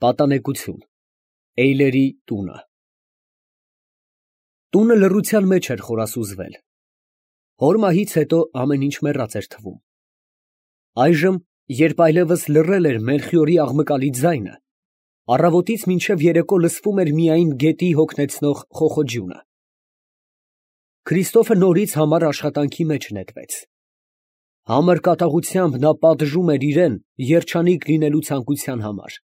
Պատանեկություն Էյլերի տունը։ Տունը լռության մեջ էր խորասուզվել։ Հոր մահից հետո ամեն ինչ մեռած էր թվում։ Այժմ, երբ այլևս լռել էր Մելխիորի աղմկալի ձայնը, առավոտից մինչև երեկո լսվում էր միայն գետի հոգնեցնող խոխոջյունը։ Քրիստոֆը նորից համառ աշխատանքի մեջ նետվեց։ Համր կատաղությամբ նա պատժում էր իրան երջանիկ լինելու ցանկության համար։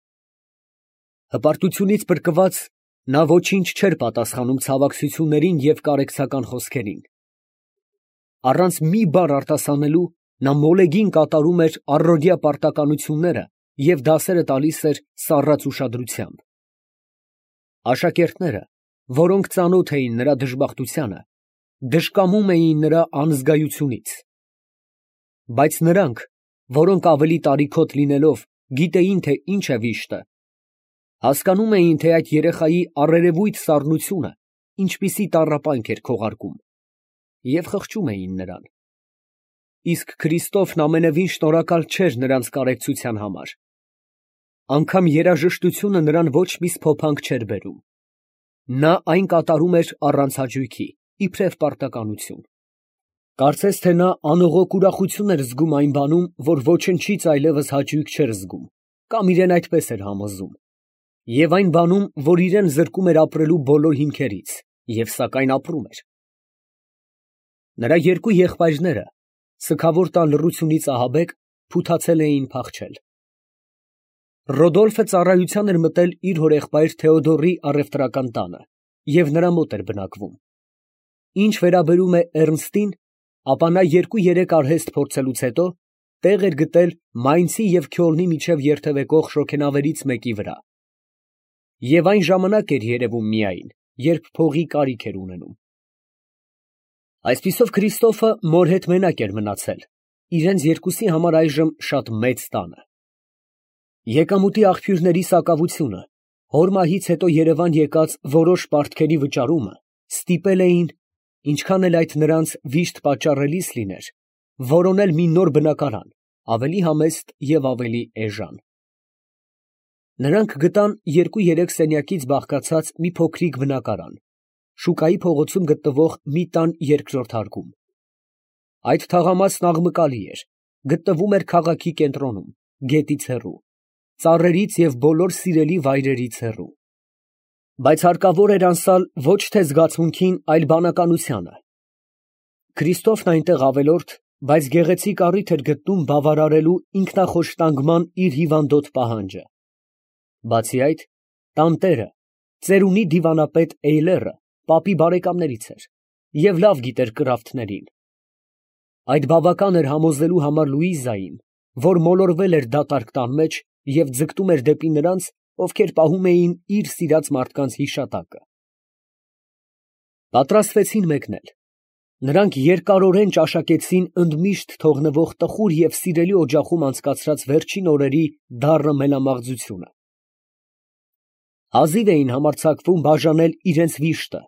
Հպարտությունից փրկված, նա ոչինչ չէր պատասխանում ցավակցություններին և կարեկցական խոսքերին։ Առանց մի բառ արտասանելու, նա մոլեգին կատարում էր առօրյա պարտականությունները և դասերը տալիս էր սառած ուշադրությամբ։ Աշակերտները, որոնք ծանոթ էին նրա դժբախտությանը, դժկամում էին նրա անզգայությունից։ Բայց նրանք, որոնք ավելի տարիքոտ լինելով, գիտեին, թե ինչ է վիշտը, հասկանում էին, թե այդ երեխայի առերևույթ սառնությունը ինչպիսի տառապանք էր քողարկում, և խղճում էին նրան։ Իսկ Քրիստոֆն ամենևին շնորհակալ չէր նրանց կարեկցության համար։ Անգամ երաժշտությունը նրան ոչ մի սփոփանք չէր բերում։ Նա այն կատարում էր առանց հաճույքի, իբրև պարտականություն։ Կարծես թե նա անողոք ուրախություն էր զգում այն բանում, որ ոչնչից այլևս հաճույք չէր զգում, կամ իրեն այդպես էր համոզում, և այն բանում, որ իրան զրկում էր ապրելու բոլոր հիմքերից, և սակայն ապրում էր։ Նրա երկու եղբայրները, սգավոր տան լռությունից ահաբեկ, փութացել էին փախչել։ Ռոդոլֆը ծառայության էր մտել իր հորեղբայր Թեոդորի առևտրական տանը և նրա մոտ էր բնակվում։ Ինչ վերաբերում է Էռնստին, ապա նա 2-3 արհեստ փորձելուց հետո տեղ էր գտել Մայնցի և Քյոլնի միջև երթևեկող շոգենավերից մեկի վրա, և այն ժամանակ էր երևում միայն, երբ փողի կարիք էր ունենում։ Այսպիսով Քրիստոֆը մոր հետ մենակ էր մնացել իրենց երկուսի համար այժմ շատ մեծ տանը։ Եկամուտի աղբյուրների սակավությունը, հոր մահից հետո երևան եկած որոշ պարտքերի վճարումը ստիպել էին, ինչքան էլ այդ նրանց վիշտ պատճառելիս լիներ, որոնել մի նոր բնակարան, ավելի համեստ և ավելի էժան։ Նրանք գտան 2-3 սենյակից բաղկացած մի փոքրիկ բնակարան, Շուկայի փողոցում գտնվող մի տան երկրորդ հարկում։ Այդ թաղամասն աղմկալի էր, գտնվում էր քաղաքի կենտրոնում, գետից հեռու, ծառերից և բոլոր սիրելի վայրերից հեռու։ Բայց հարկավոր էր անցալ ոչ թե զգացմունքին, այլ բանականությանը։ Քրիստոֆն այնտեղ ավելորդ, բայց գեղեցիկ առիթ էր գտնում բավարարելու ինքնախոշտանգման իր հիվանդոտ պահանջը։ Բացի այդ, տանտերը, ծերունի դիվանապետ Էյլերը պապի բարեկամներից էր և լավ գիտեր կրավթներին։ Այդ բավական էր համոզելու համար Լուիզային, որ մոլորվել էր դատարկ տան մեջ և ձգտում էր դեպի նրանց, ովքեր պահում էին իր սիրած մարդկանց հիշատակը։ Պատրաստվեցին մեկնել։ Նրանք երկարորեն ճաշակեցին ընդմիշտ թողնվող տխուր և սիրելի օջախում անցկացրած վերջին օրերի դառը մելամաղձությունը։ Հազիվ էին համարձակվում բաժանել իրենց վիշտը,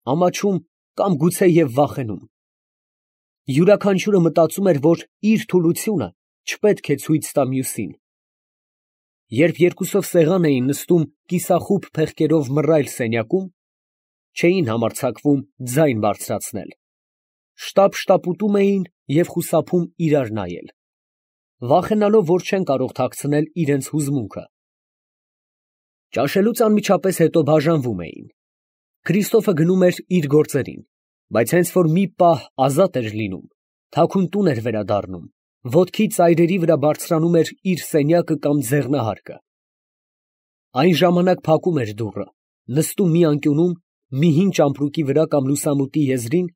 ամաչում կամ գուցեև վախենում։ Յուրաքանչյուրը մտածում էր, որ իր թուլությունը չպետք է ցույց տա մյուսին։ Երբ երկուսով սեղան էին նստում կիսախուբ փեղկերով մռայլ սենյակում, չէին համարձակվում ձայն բարձրացնել, շտապ֊շտապ ուտում էին և խուսափում իրար նայել, վախենալով, որ չեն կարող թաքցնել իրենց հուզմունքը։ Ճաշելուց անմիջապես հետո բաժանվում էին։ Քրիստոֆը գնում էր իր գործերին, բայց հենց որ մի պահ ազատ էր լինում, թաքուն տուն էր վերադառնում, ոտքի ծայրերի վրա բարձրանում էր իր սենյակը կամ ձեռնահարկը։ Այն ժամանակ փակում էր դուռը, նստում մի անկյունում, մի հին ճամպրուկի վրա կամ լուսամուտի եզրին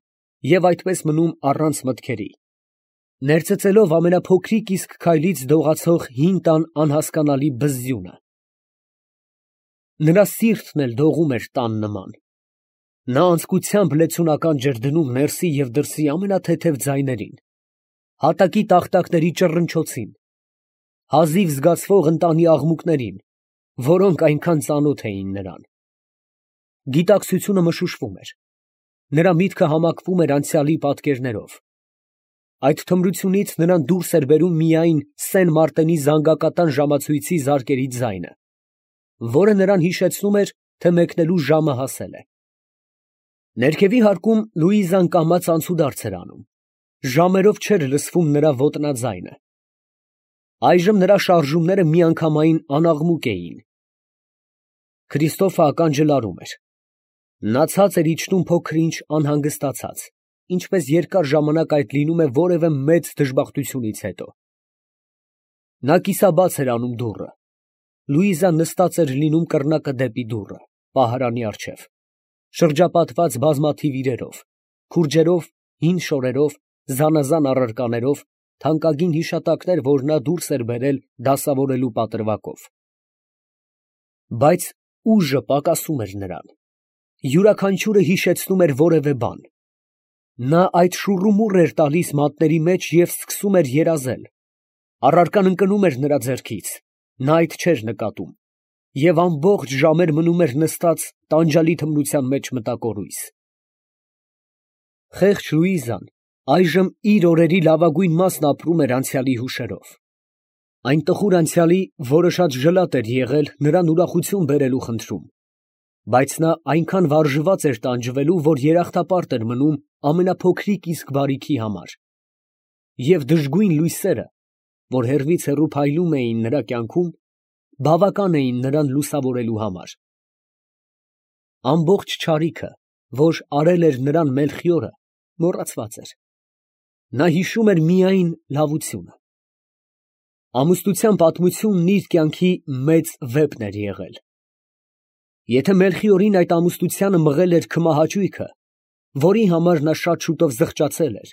և այդպես մնում առանց մտքերի, ներծծելով ամենափոքրիկ իսկ քայլից դողացող հին տան անհասկանալի բզզյունը։ Նրա սիրտն էլ դողում էր տան նման։ Նա անձկությամբ լեցունական ջր դնում ներսի և դրսի ամենաթեթև ձայներին, հատակի տախտակների ճռնչոցին, հազիվ զգացվող ընտանի աղմուկներին, որոնք այնքան ծանոթ էին նրան։ Գիտակցությունը մշուշվում էր։ Նրա միտքը համակվում էր անցյալի պատկերներով։ Այդ թմրությունից նրան դուրս էր բերում միայն Սեն Մարտենի զանգակատան ժամացույցի զարկերի ձայնը, որը նրան հիշեցնում էր, թե մեկնելու ժամը հասել է։ Ներքևի հարկում Լուիզան կամաց անցուդարձ էր անում, ժամերով չէր լսվում նրա ոտնաձայնը։ Այժմ նրա շարժումները միանգամայն անաղմուկ էին։ Քրիստոֆը ականջլարում էր։ Նա ցած էր իջնում փոքր-ինչ անհանգստացած, ինչպես երկար ժամանակ այդ լինում է որևէ մեծ դժբախտությունից հետո։ Նա կիսաբաց էր անում դուռը։ Լուիզան նստած էր լինում կռնակը դեպի դուռը, պահարանի առջև, շրջապատված բազմաթիվ իրերով, քուրջերով, հին շորերով, զանազան առարկաներով, թանկագին հիշատակներ, որ նա դուրս էր բերել դասավորելու պատրվակով։ Բայց ուժը պակասում էր նրան։ Յուրաքանչյուրը հիշեցնում էր որևէ բան։ Նա այդ շուռումուռ էր տալիս մատների մեջ և սկսում էր երազել։ Առարկան ընկնում էր նրա ձեռքից, նա այդ չէր նկատում, և ամբողջ ժամեր մնում էր նստած տանջալի թմրության մեջ մտակորույս։ Խեղճ Լուիզան այժմ իր օրերի լավագույն մասն ապրում էր անցյալի հուշերով։ Այն տխուր անցյալի, որը շատ ժլատ էր եղել նրան ուրախություն բերելու խնդրում, բայց նա այնքան վարժված էր տանջվելու, որ երախտապարտ էր մնում ամենափոքրիկ իսկ բարիքի համար, և դժգույն լույսերը, որ հեռվից հեռու փայլում էին նրա կյանքում, բավական էին նրան լուսավորելու համար։ Ամբողջ չարիքը, որ արել էր նրան Մելխիորը, մոռացված էր։ Նա հիշում էր միայն լավությունը։ Ամուսնության պատմությունն իր կյանքի մեծ վեպն էր եղել։ Եթե Մելխիորին այդ ամուսնությանը մղել էր քմահաճույքը, որի համար նա շատ շուտով զղջացել էր,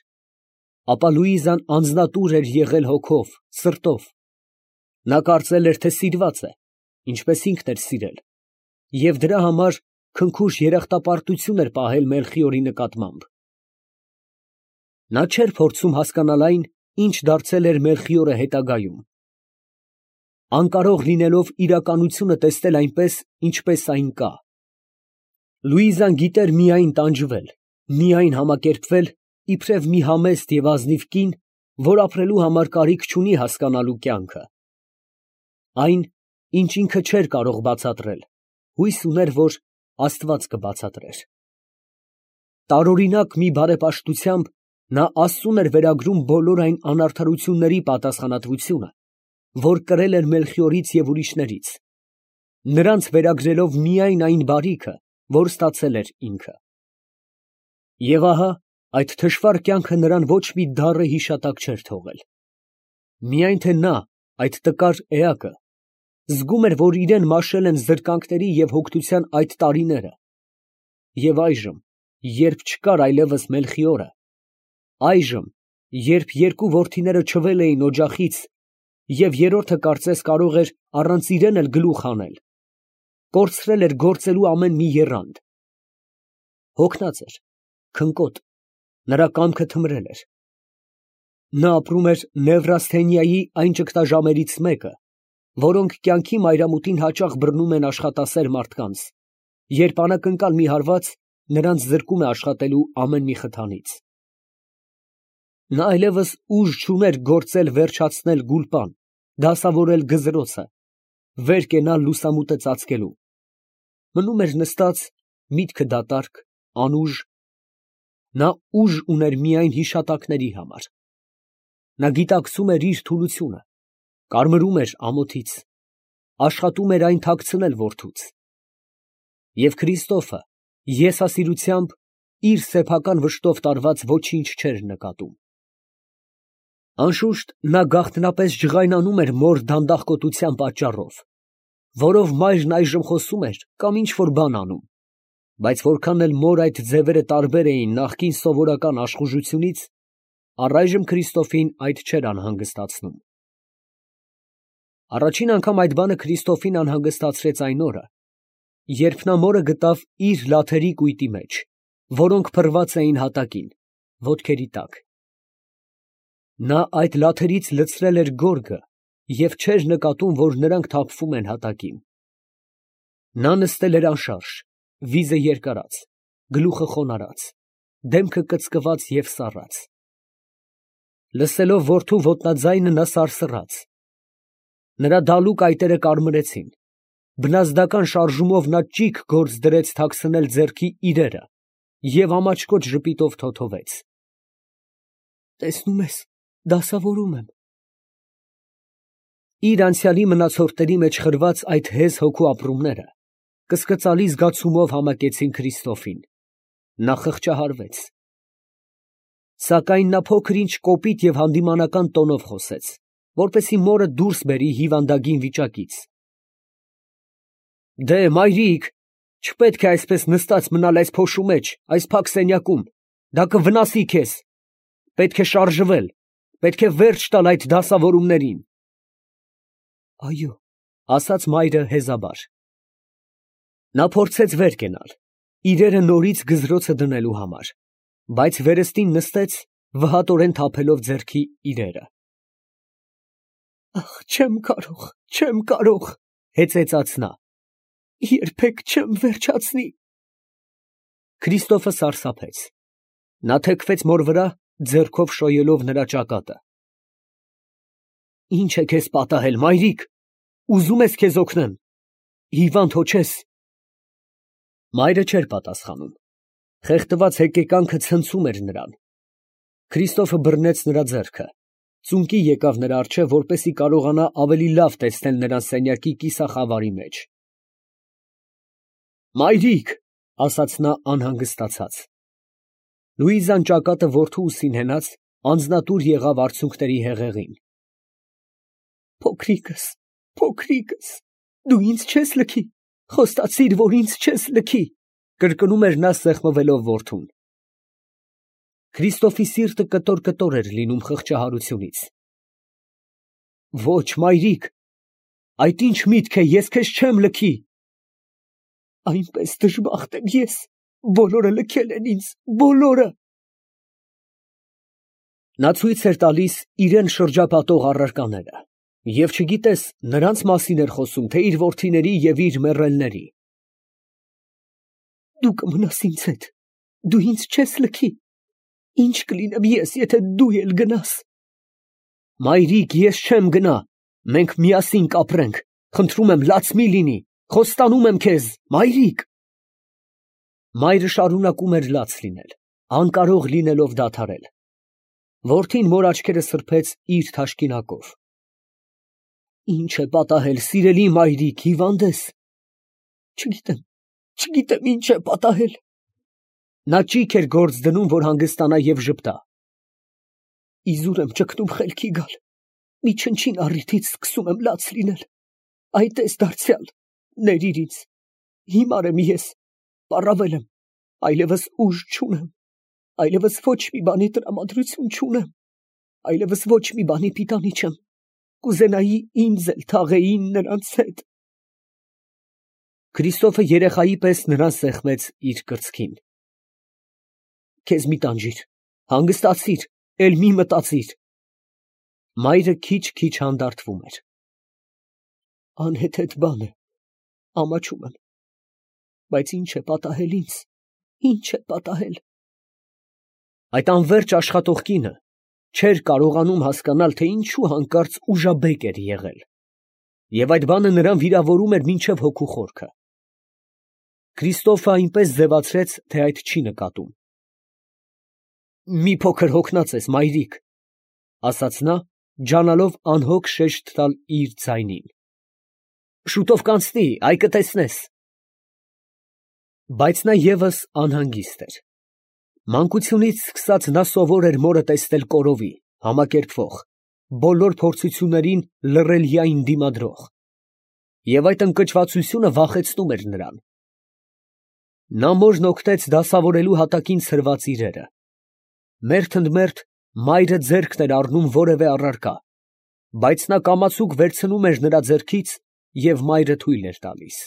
ապա Լուիզան անձնատուր էր եղել հոգով, սրտով։ Նա կարծել էր, թե սիրված է, ինչպես ինքն էր սիրել, և դրա համար քնքուշ երախտապարտություն էր պահել Մելխիորի նկատմամբ։ Նա չէր փորձում հասկանալ այն, ինչ դարձել էր Մելխիորը հետագայում, անկարող լինելով իրականությունը տեսնել այնպես, ինչպես այն կա։ Լուիզան գիտեր միայն տանջվել, միայն համակերպվել, իբրև մի համեստ և ազնիվ կին, որ ապրելու համար կարիք չունի հասկանալու կյանքը։ Այն, ինչ ինքը չէր կարող բացատրել, հույս ուներ, որ Աստված կբացատրեր։ Տարօրինակ մի բարեպաշտությամբ նա Աստծուն էր վերագրում բոլոր այն անարդարությունների պատասխանատվությունը, որ կրել էր Մելխիորից և ուրիշներից, նրանց վերագրելով միայն այն բարիքը, որ ստացել էր ինքը։ Եվ ահա այդ թշվառ կյանքը նրան ոչ մի դառը հիշատակ չէր թողել։ Միայն թե նա, այդ տկար էակը, զգում էր, որ իրան մաշել են զրկանքների և հոգնության այդ տարիները, և այժմ, երբ չկար այլևս Մելխիորը, այժմ, երբ երկու որդիները չվել էին օջախից, և երրորդը կարծես կարող էր առանց իրեն էլ գլուխ հանել, կորցրել էր գործելու ամեն մի եռանդ։ Հոգնած էր, քնկոտ, նրա կամքը թմրել էր։ Նա ապրում էր Նևրասթենիայի այն ճգնաժամերից մեկը, որոնք կյանքի մայրամուտին հաճախ բռնում են աշխատասեր մարդկանց, երբ անակնկալ մի հարված նրանց զրկում է աշխատելու ամեն մի խթանից։ Նա այլևս ուժ չուներ գործել վերջացնել գուլպան, դասավորել գզրոցը, վեր կենալ լուսամուտը ծածկելու։ Մնում էր նստած, միտքը դատարկ, անուժ։ Նա ուժ ուներ միայն հիշատակների համար։ Նա գիտակցում էր իր թուլությունը, կարմրում էր ամոթից, աշխատում էր այն թաքցնել որդուց։ Եվ Քրիստոֆը եսասիրությամբ իր սեփական վշտով տարված ոչինչ չէր նկատում։ Անշուշտ նա գաղտնապես ջղայնանում էր մոր դանդաղկոտության պատճառով, որով մայրն այժմ խոսում էր կամ ինչ֊որ բան անում, բայց որքան էլ մոր այդ ձևերը տարբեր էին նախկին սովորական աշխուժությունից, առայժմ Քրիստոֆին այդ չէր անհանգստացնում։ Առաջին անգամ այդ բանը Քրիստոֆին անհանգստացրեց այն օրը, երբ նա մորը գտավ իր լաթերի կույտի մեջ, որոնք փռված էին հատակին, ոտքերի տակ։ Նա այդ լաթերից լցրել էր գորգը և չէր նկատում, որ նրանք թափվում են հատակին։ Նա նստել էր անշարժ, վիզը երկարած, գլուխը խոնարհած, դեմքը կծկված և սառած։ Լսելով որդու ոտնաձայնը նա սարսռաց։ Նրա դալուկ այտերը կարմրեցին, բնազդական շարժումով նա ճիգ գործ դրեց թաքցնել ձեռքի իրերը և ամաչկոտ ժպիտով թոթվեց. «Տեսնում ես, դասավորում եմ»։ Իր անցյալի մնացորդների մեջ խրված այդ հեզ հոգու ապրումները կսկծալի զգացումով համակեցին Քրիստոֆին. նա խղճահարվեց։ Սակայն նա փոքր ինչ կոպիտ և հանդիմանական տոնով խոսեց, որպեսզի մորը դուրս բերի հիվանդագին վիճակից։ «Դե, մայրիկ, չպետք է այսպես նստած մնալ այս փոշու մեջ, այս փակ սենյակում, դա կվնասի քեզ, պետք է շարժվել, պետք է վերջ տալ այդ դասավորումներին»։ «Այո», ասաց մայրը հեզաբար։ Նա փորձեց վեր կենալ, իրերը նորից գզրոցը դնելու համար, բայց վերստին նստեց, վհատորեն թափելով ձեռքի իրերը։ «Ախ, չեմ կարող, հեծեծաց նա, երբեք չեմ վերջացնի»։ Քրիստոֆը սարսափեց, նա թեքվեց մոր վրա, ձեռքով շոյելով նրա ճակատը։ «Ի՞նչ է քեզ պատահել, մայրիկ, ուզում ես քեզ օգնեմ, հիվանդ հո չես»։ Մայրը չէր պատասխանում, խեղդված հեկեկանքը ցնցում էր նրան։ Քրիստոֆը բռնեց նրա ձեռքը, ծունկի եկավ նրա առջև, որպեսզի կարողանա ավելի լավ տեսնել նրան սենյակի կիսախավարի մեջ։ «Մայրիկ», ասաց նա անհանգստացած։ Լուիզան ճակատը որդու ուսին հենած, անձնատուր եղավ արցունքների հեղեղին։ Փոքրիկս, դու ինձ չես լքի, խոստացիր, որ ինձ չես լքի, կրկնում էր նա սեղմվելով որդուն։ Քրիստոֆի սիրտը կտոր էր լինում խղճահարությունից։ «Ոչ, մայրիկ, այդ ի՞նչ միտք է, ես քեզ չեմ լքի»։ «Այնպես դժբախտ եմ ես, բոլորը լքել են ինձ, բոլորը»։ Նա ցույց էր տալիս իրան շրջապատող առարկաները, և չգիտես նրանց մասին էր խոսում, թե իր որդիների և իր մեռելների։ «Դու կմնաս ինձ հետ, դու ինձ չես լքի, ի՞նչ կլինեմ ես, եթե դու էլ գնաս»։ «Մայրիկ, ես չեմ գնա, մենք միասին կապրենք, խնդրում եմ, լաց մի լինի, խոստանում եմ քեզ, մայրիկ»։ Մայրը շարունակում էր լաց լինել, անկարող լինելով դադարել։ Որդին մոր աչքերը սրբեց իր թաշկինակով։ «Ի՞նչ է պատահել, սիրելի մայրիկ, հիվանդ ես»։ Չգիտեմ ինչ է պատահել։ Նա ճիգ էր գործ դնում, որ հանգստանա և ժպտա։ «Իզուր եմ ճգնում խելքի գալ, մի չնչին առիթից սկսում եմ լաց լինել։ Այ տես դարձյալ, ներիր ինձ, հիմար եմ ես, պառավել եմ, այլևս ուժ չունեմ, այլևս ոչ մի բանի տրամադրություն չունեմ, այլևս ոչ մի բանի պիտանի չեմ, կուզենայի ինձ էլ թաղեին նրանց հետ»։ Քրիստոֆը երեխայի պես նրան սեղմեց իր կրծքին։ «Քեզ մի տանջիր, հանգստացիր, էլ մի մտածիր»։ Մայրը քիչ հանդարտվում էր։ «Անհեթեթ բան է, ամաչում եմ, բայց ինչ է պատահել ինձ, ինչ է պատահել»։ Այդ անվերջ աշխատող կինը չէր կարողանում հասկանալ, թե ինչու հանկարծ ուժաբեկ էր եղել, և այդ բանը նրան վիրավորում էր մինչև հոգու խորքը։ Քրիստոֆը այնպես ձևացրեց, թե այդ չի նկատում։ «Մի փոքր հոգնած ես, մայրիկ», ասաց նա, ջանալով անհոգ շեշտ տալ իր ձայնին։ «Շուտով կանցնի, այ կտեսնես»։ Բայց նա ևս անհանգիստ էր։ Մանկությունից սկսած նա սովոր էր մորը տեսնել կորովի, համակերպվող, բոլոր փորձություններին լռելիային դիմադրող, և այդ ընկճվածությունը վախեցնում էր նրան։ Նա մորն օգնեց դասավորելու հատակին ցրված իրերը։ Մերթ ընդ մերթ մայրը ձեռքն էր առնում որևէ առարկա, բայց նա կամացուկ վերցնում էր նրա ձեռքից և մայրը թույլ էր տալիս։